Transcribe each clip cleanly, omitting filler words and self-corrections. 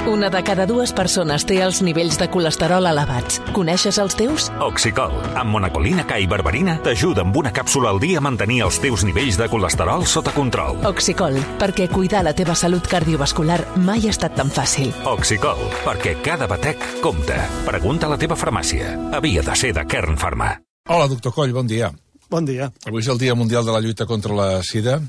Una de cada dues persones té els nivells de colesterol elevats. Coneixes els teus? Oxicol, amb monacolina K i berberina, t'ajuda amb una càpsula al dia a mantenir els teus nivells de colesterol sota control. Oxicol, perquè cuidar la teva salut cardiovascular mai ha estat tan fàcil. Oxicol, perquè cada batec compta. Pregunta a la teva farmàcia. Havia de ser de Kern Pharma. Hola, doctor Coll, bon dia. Bon dia. Avui és el Dia Mundial de la Lluita contra la Sida.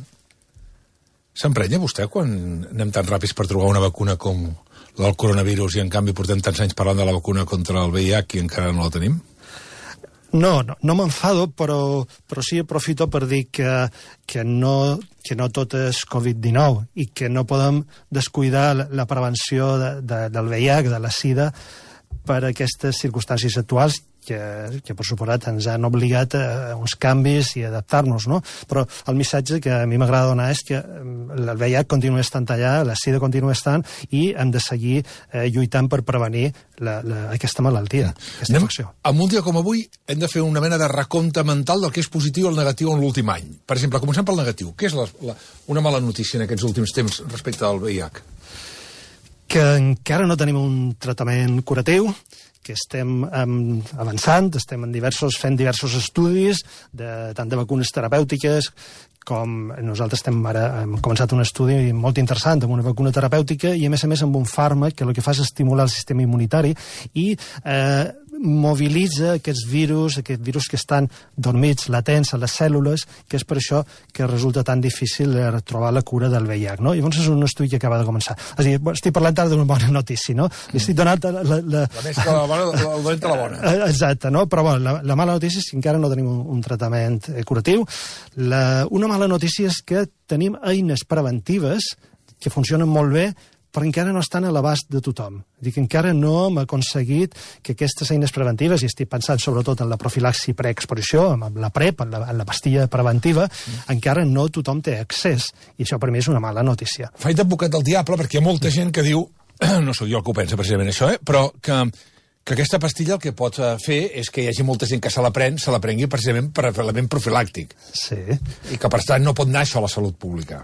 S'emprenya vostè quan anem tan ràpids per trobar una vacuna com del coronavirus i en canvi portem tants anys parlant de la vacuna contra el VIH i encara no la tenim? No m'enfado, però sí aprofito per dir que no tot és Covid-19 i que no podem descuidar la prevenció del VIH, de la Sida, per aquestes circumstàncies actuals que per suposat ens han obligat a uns canvis i a adaptar-nos, no? Però el missatge que a mi m'agrada donar és que el VIH continua estant allà, la Sida continua estant i hem de seguir lluitant per prevenir aquesta malaltia, aquesta infecció. En un dia com avui hem de fer una mena de recompte mental del que és positiu o el negatiu en l'últim any. Per exemple, comencem pel negatiu. Què és una mala notícia en aquests últims temps respecte al VIH? Que encara no tenim un tractament curatiu, que estem avançant, estem fent diversos estudis, tant de vacunes terapèutiques com nosaltres hem començat un estudi molt interessant amb una vacuna terapèutica i a més amb un fàrmac que el que fa és estimular el sistema immunitari i mobilitza aquests virus que estan dormits, latents a les cèl·lules, que és per això que resulta tan difícil trobar la cura del VIH, no? Llavors és un estudi que acaba de començar. És a dir, estic parlant ara d'una bona notícia, no? Li estic donant la més que la bona, el dolent de la bona. Exacte, no? Però bueno, la mala notícia és que encara no tenim un tractament curatiu. Una mala notícia és que tenim eines preventives que funcionen molt bé, però encara no estan a l'abast de tothom. Dic que encara no hem aconseguit que aquestes eines preventives, i estic pensant sobretot en la profilaxi preexposició, amb la PrEP, en la pastilla preventiva, encara no tothom té accés. I això per mi és una mala notícia. Faig d'advocat del diable perquè hi ha molta gent que diu, no sóc jo el que ho pensa precisament això, però que aquesta pastilla el que pot fer és que hi hagi molta gent que se la prengui precisament per element profilàctic. Sí. I que per tant no pot anar això a la salut pública.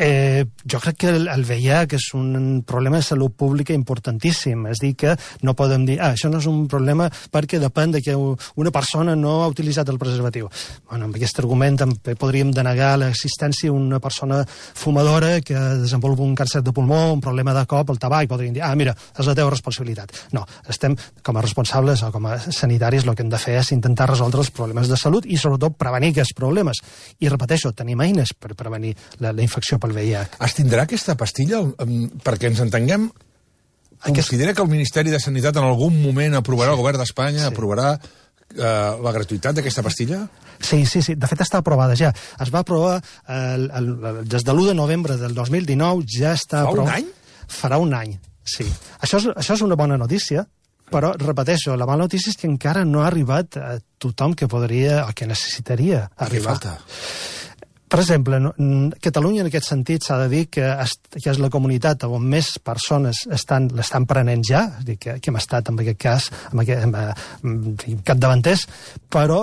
Jo crec que el VIH és un problema de salut pública importantíssim. És dir, que no podem dir això no és un problema perquè depèn de que una persona no ha utilitzat el preservatiu. Bueno, amb aquest argument també podríem denegar l'existència d'una persona fumadora que desenvolupa un càncer de pulmó, un problema de cop, el tabac, podríem dir, mira, és la teva responsabilitat. No, estem com a responsables o com a sanitaris el que hem de fer és intentar resoldre els problemes de salut i sobretot prevenir aquests problemes. I repeteixo, tenim eines per prevenir la infecció pel VIH. Es tindrà aquesta pastilla? Perquè ens entenguem, considera que el Ministeri de Sanitat en algun moment aprovarà, el govern d'Espanya aprovarà la gratuïtat d'aquesta pastilla? Sí. De fet, està aprovada ja. Es va aprovar des de l'1 de novembre del 2019, ja està aprovada. Fa un any? Farà un any, sí. Això és una bona notícia, però, repeteixo, la mala notícia és que encara no ha arribat a tothom que podria o que necessitaria arribar. Què falta? Per exemple, Catalunya en aquest sentit s'ha de dir que és la comunitat on més persones l'estan prenent ja, és a dir, que hem estat en aquest cas capdavanters, però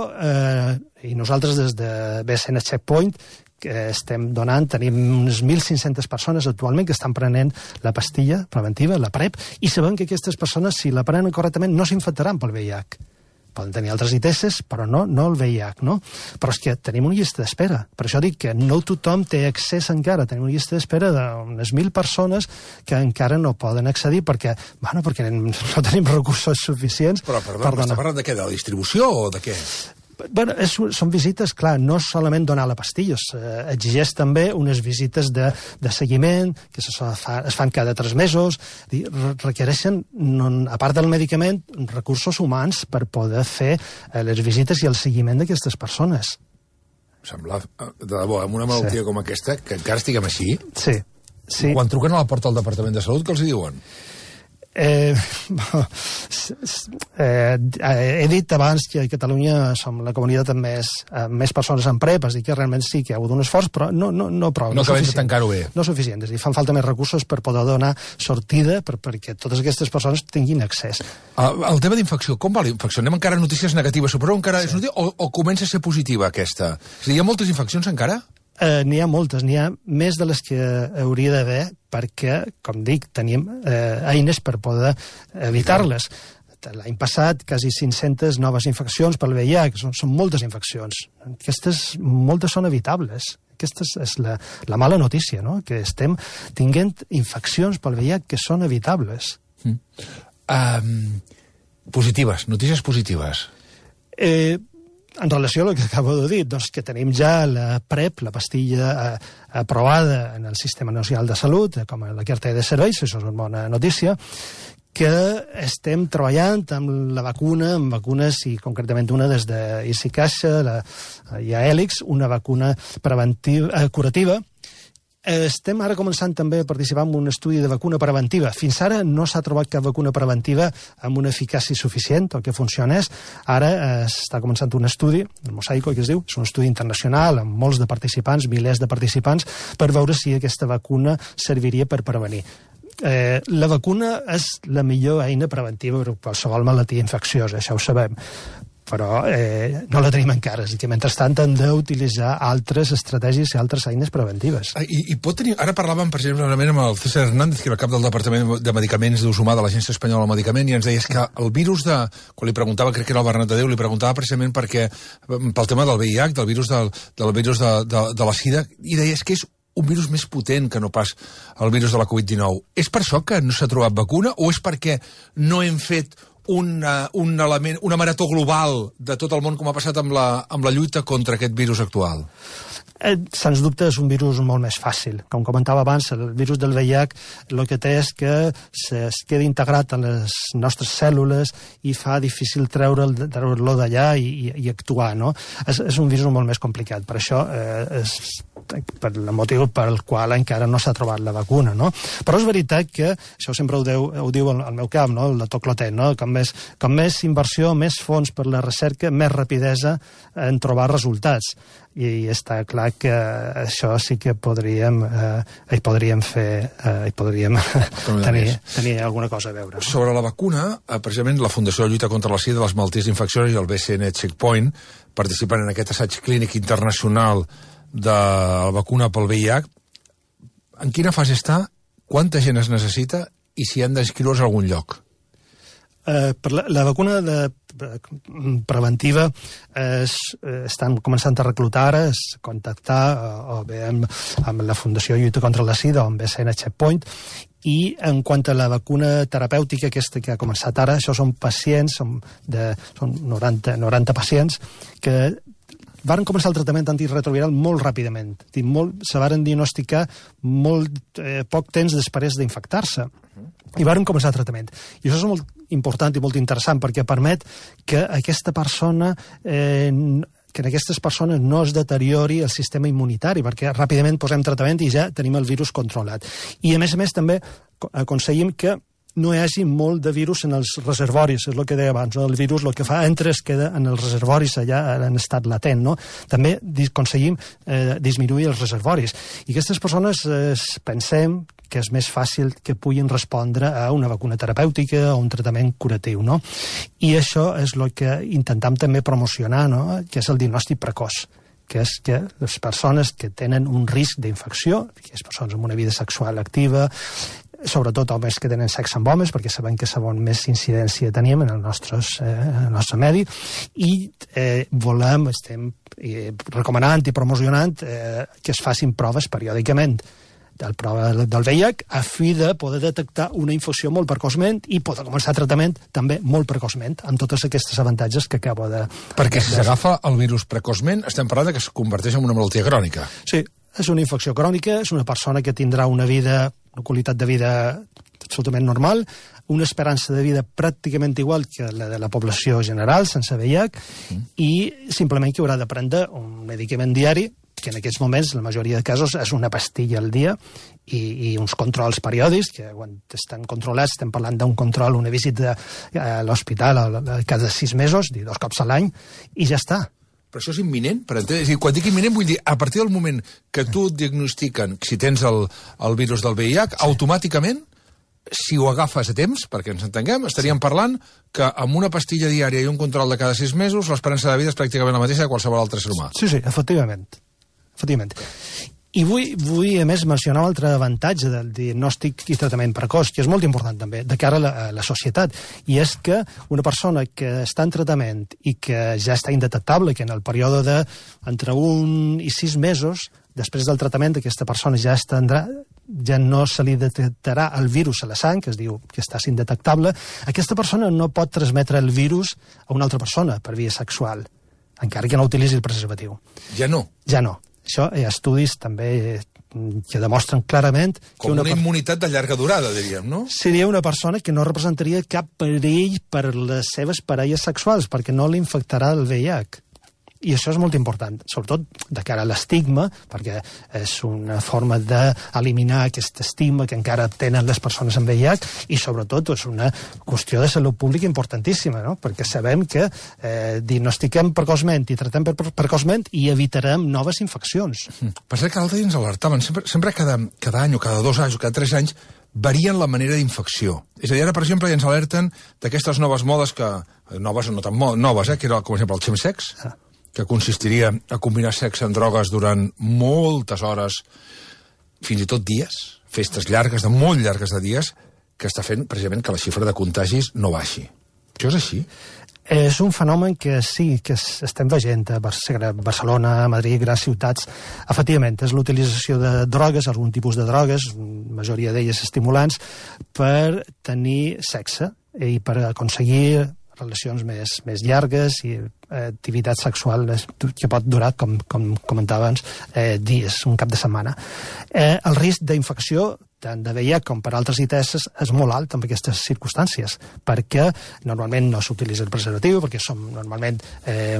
i nosaltres des de BSN Checkpoint que tenim unes 1.500 persones actualment que estan prenent la pastilla preventiva, la PrEP, i sabem que aquestes persones, si la prenen correctament, no s'infectaran pel VIH. Poden tenir altres ITS, però no el VIH, no? Però és que tenim una llista d'espera. Per això dic que no tothom té accés encara. Tenim una llista d'espera d'unes 1.000 persones que encara no poden accedir perquè no tenim recursos suficients. Però, perdó, està parlant de què? De la distribució o de què? Bueno, són visites, clar, no solament donar la pastilla, exigeix també unes visites de seguiment, que es fan cada 3 mesos, requereixen, a part del medicament, recursos humans per poder fer les visites i el seguiment d'aquestes persones. Sembla, de debò, amb una malaltia com aquesta, que encara estiguem així, sí. Quan truquen a la porta del Departament de Salut, què els hi diuen? He dit abans que a Catalunya som la comunitat amb més persones en PrEP, és a dir, que realment sí que hi ha hagut un esforç, però no prou. No acabem de tancar-ho bé. No suficient, és a dir, fan falta més recursos per poder donar sortida perquè totes aquestes persones tinguin accés. El tema d'infecció, com va la infecció? Anem encara a notícies negatives, però encara és notícia o comença a ser positiva aquesta? És a dir, hi ha moltes infeccions encara? N'hi ha moltes, n'hi ha més de les que hauria d'haver perquè, com dic, tenim eines per poder evitar-les. L'any passat, quasi 500 noves infeccions pel VIH, són moltes infeccions. Aquestes, moltes són evitables. Aquesta és la mala notícia, no? Que estem tinguent infeccions pel VIH que són evitables. Positives, notícies positives. En relació a el que acabo de dir, doncs que tenim ja la PrEP, la pastilla aprovada en el Sistema Nacional de Salut, com a la cartera de serveis, això és una bona notícia, que estem treballant amb la vacuna, amb vacunes, i concretament una des d'ICICaixa, hi ha Hèlix, una vacuna curativa. Estem ara començant també a participar en un estudi de vacuna preventiva. Fins ara no s'ha trobat cap vacuna preventiva amb una eficàcia suficient, el que funcionés. Ara està començant un estudi, el Mosaico, que es diu, és un estudi internacional amb molts de participants, milers de participants, per veure si aquesta vacuna serviria per prevenir. La vacuna és la millor eina preventiva per qualsevol malaltia infecciosa, això ho sabem, però no la tenim encara, és que mentrestant hem d'utilitzar altres estratègies i altres eines preventives. I pot tenir... Ara parlàvem, per exemple, amb el César Hernández, que era el cap del Departament de Medicaments d'Ús Humà de l'Agència Espanyola del Medicament, i ens deies que el virus de... Quan li preguntava, crec que era el Bernat de Déu, li preguntava precisament pel tema del VIH, del virus de la sida, i deies que és un virus més potent que no pas el virus de la Covid-19. És per això que no s'ha trobat vacuna o és perquè no hem fet una marató global de tot el món com ha passat amb la lluita contra aquest virus actual? Sens dubte és un virus molt més fàcil. Com comentava abans, el virus del VIH el que té és que es queda integrat en les nostres cèl·lules i fa difícil treure-lo d'allà i actuar, no? És un virus molt més complicat. Per això és per el motiu pel qual encara no s'ha trobat la vacuna, no? Però és veritat que, això sempre ho diu el meu cap, no? El doctor Clotet, no? Com més inversió, més fons per la recerca, més rapidesa en trobar resultats. I està clar que això sí que podríem tenir alguna cosa a veure. Sobre la vacuna, precisament la Fundació de Lluita contra la Sida, les malalties infeccioses i el BCN Checkpoint participen en aquest assaig clínic internacional de la vacuna pel VIH. En quina fase està? Quanta gent es necessita? I si han d'inscriure's a algun lloc? La vacuna preventiva estan començant a reclutar ara, contactar o bé amb la Fundació de Lluita contra la Sida o amb BCN Checkpoint, i en quant a la vacuna terapèutica aquesta que ha començat ara, això són pacients, són 90 pacients que van començar el tractament antirretroviral molt ràpidament. Se van diagnosticar molt poc temps després d'infectar-se i van començar el tractament. I això és molt important i molt interessant perquè permet que aquesta persona que en aquestes persones no es deteriori el sistema immunitari, perquè ràpidament posem tractament i ja tenim el virus controlat. I a més també aconseguim que no hi hagi molt de virus en els reservoris, és el que deia abans, no? El virus el que fa entra es queda en els reservoris allà en estat latent, no? També aconseguim disminuir els reservoris. I aquestes persones pensem que és més fàcil que puguin respondre a una vacuna terapèutica o un tractament curatiu, no? I això és el que intentem també promocionar, no? Que és el diagnòstic precoç, que és que les persones que tenen un risc d'infecció, les persones amb una vida sexual activa, sobretot homes que tenen sexe amb homes, perquè sabem que és on més incidència tenim en el nostre medi, i estem recomanant i promocionant que es facin proves periòdicament del prova del VIH a fi de poder detectar una infecció molt precoçment i poder començar tractament també molt precoçment, amb totes aquestes avantatges que acabo de... Perquè si s'agafa el virus precoçment, estem parlant que es converteix en una malaltia crònica. Sí, és una infecció crònica, és una persona que tindrà una qualitat de vida absolutament normal, una esperança de vida pràcticament igual que la de la població general, sense VIH, i simplement que haurà de prendre un medicament diari, que en aquests moments, la majoria de casos, és una pastilla al dia i uns controls periòdics, que quan estan controlats estem parlant d'un control, una visita a l'hospital cada 6 mesos, 2 cops a l'any, i ja està. Però això és imminent? Quan dic imminent vull dir, a partir del moment que tu et diagnostiquen si tens el virus del VIH, automàticament, si ho agafes a temps, perquè ens entenguem, estaríem parlant que amb una pastilla diària i un control de cada 6 mesos l'esperança de vida és pràcticament la mateixa de qualsevol altre ser humà. Sí, efectivament. efectivament. I vull, a més, mencionar un altre avantatge del diagnòstic i tractament precoç, que és molt important també, de cara a la societat, i és que una persona que està en tractament i que ja està indetectable, que en el període entre 1 i 6 mesos, després del tractament, aquesta persona ja no se li detectarà el virus a la sang, que es diu que està indetectable, aquesta persona no pot transmetre el virus a una altra persona per via sexual, encara que no utilitzi el preservatiu. Ja no? Ja no. Això hi ha estudis també que demostren clarament... Com una immunitat de llarga durada, diríem, no? Seria una persona que no representaria cap perill per les seves parelles sexuals, perquè no li infectarà el VIH. I això és molt important, sobretot de cara a l'estigma, perquè és una forma d'eliminar aquest estigma que encara tenen les persones amb VIH, i sobretot és una qüestió de salut pública importantíssima, no? Perquè sabem que diagnostiquem precoçment i tractem precoçment i evitarem noves infeccions. Passa que l'altre dia ens alertaven, sempre cada any o cada 2 anys o cada 3 anys varien la manera d'infecció. És a dir, ara, per exemple, ja ens alerten d'aquestes noves modes noves o no tan noves, que era, com per exemple, el chemsex, que consistiria a combinar sexe amb drogues durant moltes hores, fins i tot dies, festes llargues, molt llargues de dies, que està fent precisament que la xifra de contagis no baixi. Això és així? És un fenomen que sí, que estem veient a Barcelona, a Madrid, grans ciutats. Efectivament, és l'utilització de drogues, algun tipus de drogues, la majoria d'elles estimulants, per tenir sexe i per aconseguir relacions més llargues i activitat sexual que pot durar, com comentava abans, dies, un cap de setmana. El risc d'infecció, tant de VIH com per altres ITS, és molt alt en aquestes circumstàncies, perquè normalment no s'utilitza el preservatiu, perquè som normalment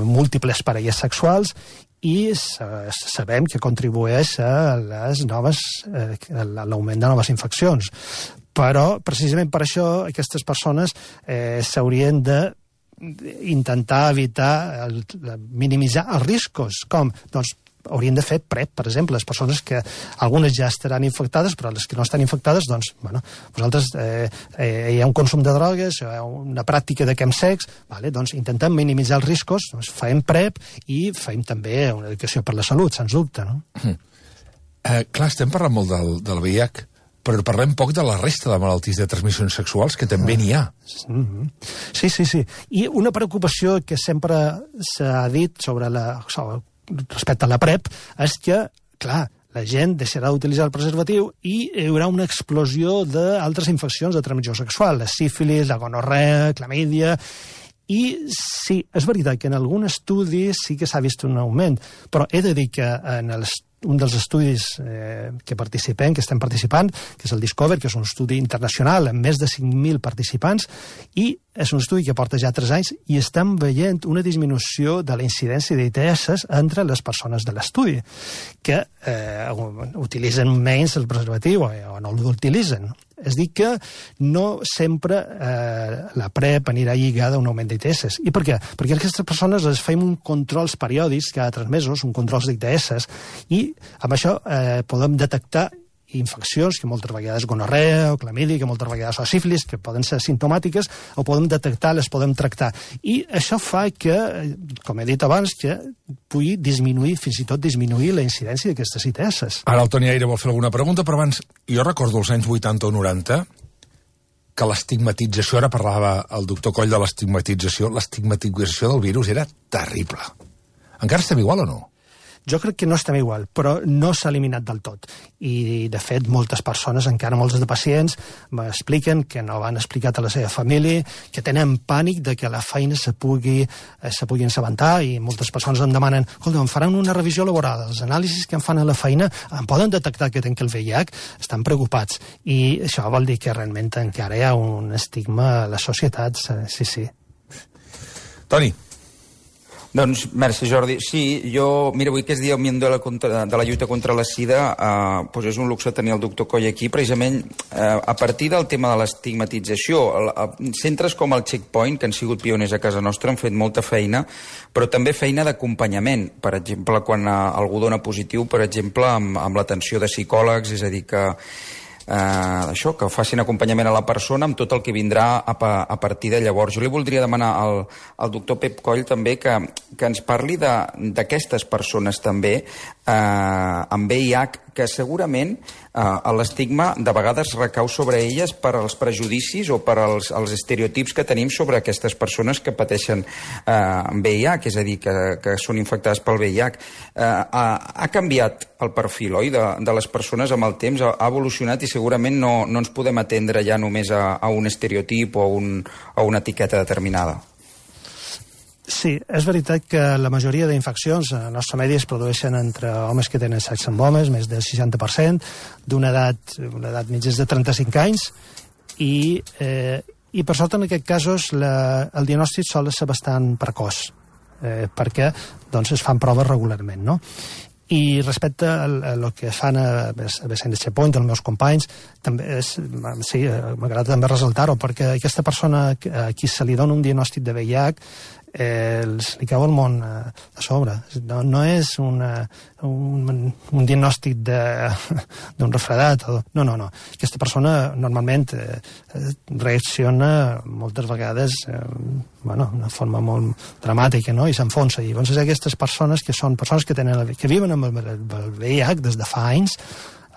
múltiples parelles sexuals, i sabem que contribueix a l'augment de noves infeccions. Però, precisament per això, aquestes persones s'haurien d'intentar evitar, minimitzar els riscos. Com? Doncs haurien de fer PrEP, per exemple. Les persones que algunes ja estaran infectades, però les que no estan infectades, doncs, bueno, vosaltres hi ha un consum de drogues, hi ha una pràctica de chemsex, doncs intentem minimitzar els riscos, doncs fem PrEP i fem també una educació per la salut, sens dubte, no? Clar, estem parlant molt del VIH, però parlem poc de la resta de malalties de transmissions sexuals, que també n'hi ha. Sí. I una preocupació que sempre s'ha dit respecte a la PrEP és que, clar, la gent deixarà d'utilitzar el preservatiu i hi haurà una explosió d'altres infeccions de transmissió sexual, la sífilis, la gonorrea, clamídia. I sí, és veritat que en algun estudi sí que s'ha vist un augment, però he de dir que en un dels estudis que estem participant, que és el Discover, que és un estudi internacional amb més de 5.000 participants, i és un estudi que porta ja 3 anys, i estem veient una disminució de la incidència d'ITS entre les persones de l'estudi, que utilitzen menys el preservatiu o no l'utilitzen. És dir, que no sempre la PrEP anirà lligada a un augment d'ITS. I per què? Perquè aquestes persones les fem uns controls periòdics cada 3 mesos, uns controls d'ITS, i amb això podem detectar infeccions, que moltes vegades gonorrea o clamídia, que moltes vegades o sífilis, que poden ser simptomàtiques, o podem detectar, les podem tractar. I això fa que, com he dit abans, que pugui disminuir, fins i tot disminuir la incidència d'aquestes ITS. Ara el Toni Aire vol fer alguna pregunta, però abans, jo recordo els anys 80 o 90, que l'estigmatització, ara parlava el doctor Coll de l'estigmatització del virus era terrible. Encara estem igual o no? Jo crec que no estem igual, però no s'ha eliminat del tot. I, de fet, moltes persones, encara molts de pacients, m'expliquen que no van explicar a la seva família, que tenen pànic de que la feina se pugui assabentar, i moltes persones em demanen, escolta, em faran una revisió laboral, els anàlisis que em fan a la feina em poden detectar que tenc el VIH, estan preocupats. I això vol dir que realment encara hi ha un estigma a les societats, sí. Toni. Doncs, merci, Jordi. Sí, mira, avui que és dia de la lluita contra la sida, doncs és un luxe tenir el doctor Coll aquí, precisament a partir del tema de l'estigmatització. Centres com el Checkpoint, que han sigut pioners a casa nostra, han fet molta feina, però també feina d'acompanyament. Per exemple, quan algú dona positiu, per exemple, amb l'atenció de psicòlegs, és a dir, que això, que facin acompanyament a la persona amb tot el que vindrà a partir de llavors. Jo li voldria demanar al doctor Pep Coll també que ens parli d'aquestes persones també amb VIH, que segurament l'estigma de vegades recau sobre elles per als prejudicis o per als estereotips que tenim sobre aquestes persones que pateixen VIH, és a dir, que són infectades pel VIH. Ha canviat el perfil, oi, de les persones amb el temps, ha evolucionat i segurament no ens podem atendre ja només a un estereotip o a una etiqueta determinada. Sí, és veritat que la majoria d'infeccions en el nostre medi es produeixen entre homes que tenen sexe amb homes, més del 60%, d'una edat mitja de 35 anys, i per sort en aquests casos el diagnòstic sol ser bastant precoç, perquè doncs, es fan proves regularment, no? I respecte al que fan a Vicent de Checkpoint, els meus companys, també sí, m'agrada també ressaltar-ho, perquè aquesta persona a qui se li dona un diagnòstic de VIH li cau el món a sobre. No és un diagnòstic d'un refredat. No. Aquesta persona normalment reacciona moltes vegades d'una forma molt dramàtica, no? I s'enfonsa. I llavors aquestes persones que són persones que viuen amb el VIH des de fa anys,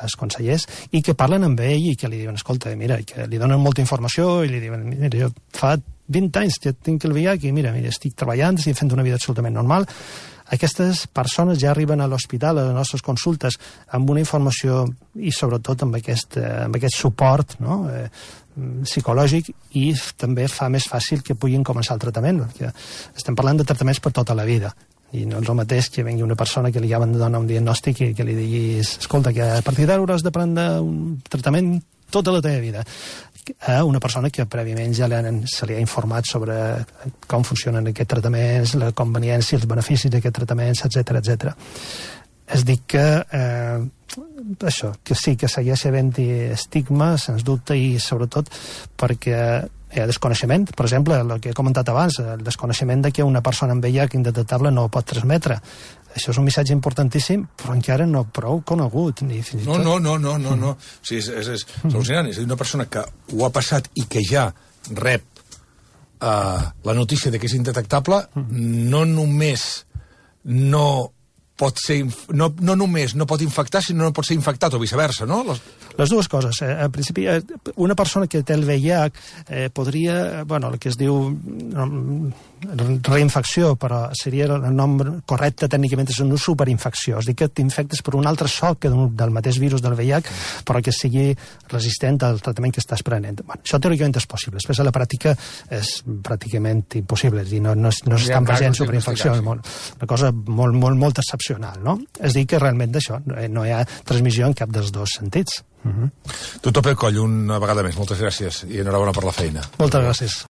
els consellers, i que parlen amb ell i que li diuen, escolta, mira, que li donen molta informació i li diuen, mira, jo fa 20 anys que tinc el VIH i mira, estic treballant, estic fent una vida absolutament normal. Aquestes persones ja arriben a l'hospital, a les nostres consultes, amb una informació i sobretot amb aquest suport, no? Psicològic, i també fa més fàcil que puguin començar el tractament, perquè estem parlant de tractaments per tota la vida. I no és el mateix que vengui una persona que li acaben de donar un diagnòstic i que li diguis, escolta, que a partir d'ara hauràs de prendre un tractament tota la teva vida, a una persona que prèviament ja se li ha informat sobre com funcionen aquests tractaments, la conveniència, els beneficis d'aquests tractaments, etc. És dir que això, que sí que segueix havent-hi estigma, sens dubte, i sobretot perquè hi ha desconeixement. Per exemple, el que he comentat abans, el desconeixement de que una persona amb VIH indetectable no pot transmetre. Això és un missatge importantíssim, però encara no prou conegut. No. O sigui, és al·lucinant. És a dir, una persona que ho ha passat i que ja rep la notícia de que és indetectable, no només no pot infectar, sinó no pot ser infectat, o viceversa, no? Les dues coses. En principi, una persona que té el VIH podria, el que es diu reinfecció, però seria el nom correcte tècnicament, és una superinfecció. És a dir, que t'infectes per un altre soc del mateix virus del VIH, però que sigui resistent al tractament que estàs prenent. Això teòricament és possible. Després a la pràctica és pràcticament impossible. És a dir, no s'estan present superinfeccions. Una cosa molt excepcional, no? És a dir, que realment d'això no hi ha transmissió en cap dels dos sentits. Doctor Pep Coll, una vegada més, moltes gràcies i enhorabona per la feina. Moltes gràcies.